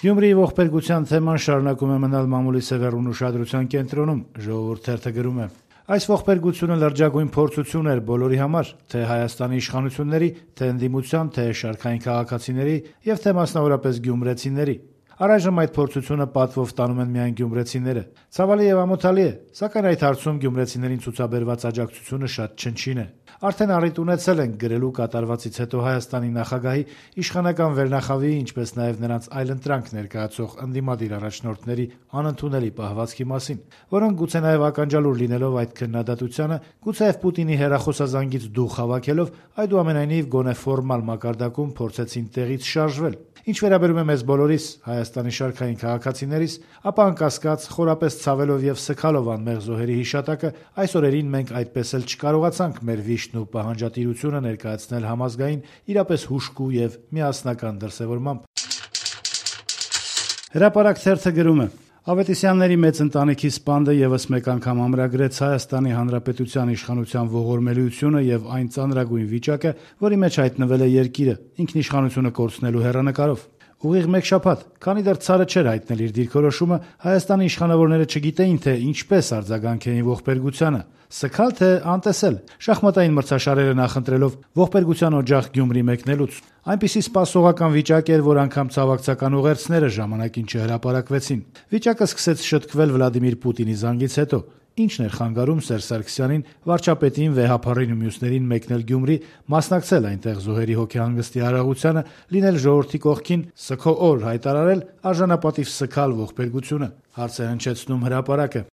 Գյումրիի ողբերգության թեման շարունակում է մնալ մամուլի սևեռուն ուշադրության կենտրոնում, Ժողովուրդ թերթը գրում է. Այս ողբերգությունը լրջագույն փորձություն էր բոլորի համար, թե Հայաստանի իշխանությունների, թե ընդդիմության, թե շարքային քաղաքացիների եւ թե մասնավորապես գյումրեցիների։ Առայժմ այդ փորձությունը պատվով տանում են միայն գյումրեցիները։ Ցավալի եւ ամոթալի է, սակայն այդ հարցում գյումրեցիներին ցուցաբերված աջակցությունը շատ չնչին է։ Արդեն առիթ ունեցել ենք գրելու կատարվածից հետո Հայաստանի նախագահի, իշխանական վերնախավի, ինչպես նաև նրանց այլընտրանք ներկայացող ընդդիմադիր առաջնորդների անընդունելի պահվածքի մասին, որոնք գուցե նաև ականջալուր լինելով այդ քննադատությանը, գուցեև Պուտինի հեռախոսազանգից դուխ հավաքելով, այդուամենայնիվ գոնե ֆորմալ մակարդակում փորձեցին տեղից շարժվել։ Ինչ վերաբերում է մեզ բոլորիս, Հայաստանի շարքային քաղաքացիներիս, ապա անկասկած խորապես ցավելով եւ սգալով անմեղ զոհերի հիշատակը, այս օրերին մենք այդպես էլ չկարողացանք մեր վիշտն ու պահանջատիրությունը ներկայացնել համազգային, իրապես հուժկու եւ միասնական դրսեւորմամբ։ Հրապարակ թերթը գրում է. Ավետիսյանների մեծ ընտանիքի սպանդը եւս մեկ անգամ ամրագրեց Հայաստանի Հանրապետության իշխանության ողորմելիությունը եւ այն ծանրագույն վիճակը, որի մեջ հայտնվել է երկիրը, ինքնիշխանությունը կորցնելու հեռանկարով։ Ուղիղ մեկ շաբաթ, քանի դեռ ցարը չէր հայտնել իր դիրքորոշումը, Հայաստանի իշխանավորները չգիտեին, թե ինչպես արձագանքեին ողբերգությանը։ Սգալ թե անտեսել, շախմատային մրցաշարերը նախընտրելով ողբերգության օջախ Գյումրի մեկնելուց։ Այնպիսի սպասողական վիճակ էր, որ անգամ ցավակցական ուղերձները ժամանակին չհրապարակվեցին։ Վիճակը սկսեց շտկվել Վլադիմիր Պուտինի զանգից հետո։ Ինչն էր խանգարում Սերժ Սարգսյանին, վարչապետին, Վեհափառին ու մյուսներին մեկնել Գյումրի, մասնակցել այնտեղ զոհերի հոգեհանգստի արարողությանը, լինել ժողովրդի կողքին, սգո-օր հայտարարել, արժանապատիվ սգալ ողբերգությունը։ Հարց է հնչեցնում հրապարակը։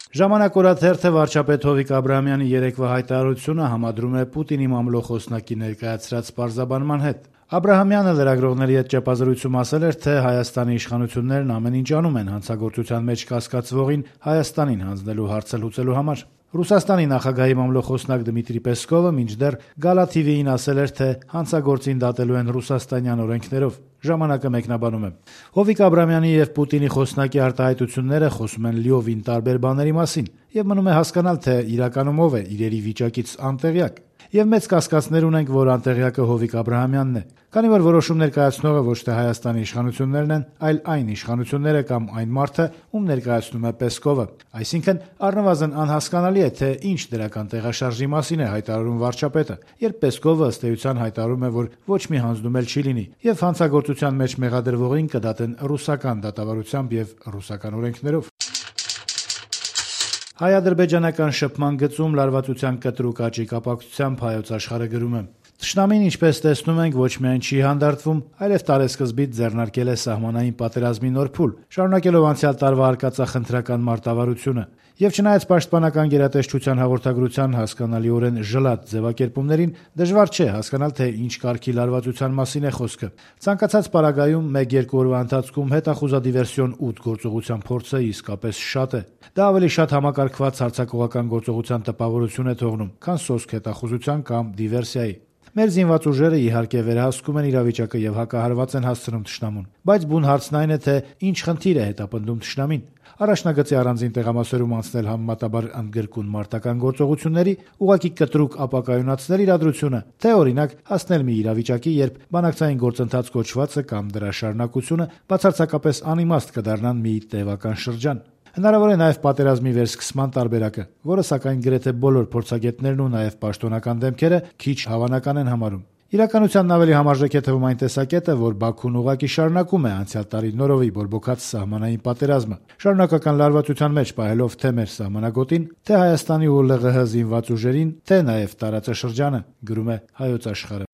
Ժամանակ օրաթերթը վարչապետ Հովիկ Աբրահամյանի երեկվա հայտարարությունը համադրում է Պուտինի մամլո խոսնակի ներկայացրած պարզաբանման հետ։ Աբրահամյանը լրագրողների հետ ճեպազրույցում ասել էր, թե Հայաստանի իշխանություններն ամեն ինչ անում են հանցագործության մեջ կասկածվողին Հայաստանին հանձնելու հարցը լուծելու համար։ Ռուսաստանի նախագահի մամլո խոսնակ Դմիտրի Պեսկովը մինչդեռ Գալա TV-ին ասել էր, թե հանցագործին դատելու են ռուսաստանյան օրենքներով։ Ժամանակը մեկնաբանում է. Հովիկ Աբրահամյանի եւ Պուտինի խոսնակի արտահայտությունները խոսում են լիովին տարբեր բաների մասին, եւ մնում է հասկանալ, թե իրականում ով է իրերի վիճակից անտեղյակ։ Եվ մեծ կասկածներ ունենք, որ անտեղյակը Հովիկ Աբրահամյանն է, քանի որ որոշում ներկայացնողը ոչ թե Հայաստանի իշխանություններն են, այլ այն իշխանությունները կամ այն մարդը, ում ներկայացնում է Պեսկովը։ Այսինքն առնվազն անհասկանալի է, թե ինչ դրական տեղաշարժի մասին է հայտարարում վարչապետը, երբ Պեսկովը ըստ էության հայտարարում է, որ ոչ մի հանձնում էլ չի լինի, եւ հանցագործության մեջ մեղադրվողին կդատեն ռուսական դատավարությամբ եւ ռուսական օրենքներով։ Հայ-ադրբեջանական շփման գծում լարվածության կտրուկ աճի կապակցությամբ Հայոց Աշխարհը գրում է. Թշնամին, ինչպես տեսնում ենք, ոչ միայն չի հանդարտվում, այլև տարեսկզբից ձեռնարկել է սահմանային պատերազմի նոր փուլ, շարունակելով անցյալ տարվա արկածախնդրական մարտավարությունը։ Եվ չնայած պաշտպանական գերատեսչության հաղորդագրության հասկանալիորեն ժլատ ձևակերպումներին, դժվար չէ հասկանալ, թե ինչ կարգի լարվածության մասին է խոսքը։ Ցանկացած պարագայում 1-2 օրվա ընթացքում հետախուզադիվերսիոն 8 գործողության փորձը իսկապես շատ է։ Դա ավելի շատ համակարգված հարձակողական գործողության տպավորություն է թողնում, քան սոսկ հետախուզության կամ դիվերսիայի։ Մեր զինված ուժերը իհարկե վերահսկում են իրավիճակը եւ հակահարված են հասցնում թշնամուն, բայց բուն հարցն այն է, թե ինչ խնդիր է հետապնդում թշնամին։ Առաջնագծի առանձին տեղամասերում անցնել համեմատաբար ընդգրկուն մարտական գործողությունների, ուղղակի կտրուկ ապակայունացնել իրադրությունը, թե օրինակ հասնել մի իրավիճակի, երբ բանակցային գործընթաց կոչվածը կամ դրա շարունակությունը բացարձակապես անիմաստ կդառնան մի տևական շրջան։ Հնարավոր է նաև պատերազմի վերսկսման տարբերակը, որը սակայն գրեթե բոլոր փորձագետներն ու նաև պաշտոնական դեմքերը քիչ հավանական են համարում։ Իրականությանն ավելի համարժեք է թվում այն տեսակետը, որ Բաքուն ուղղակի շարունակում է անցյալ տարի նորովի բորբոքած սահմանային պատերազմը, շարունակական լարվածության մեջ պահելով թե մեր սահմանագոտին, թե Հայաստանի ու ԼՂՀ զինված ուժերին, թե նաև տարածաշրջանը, գրում է Հայոց Աշխարհը։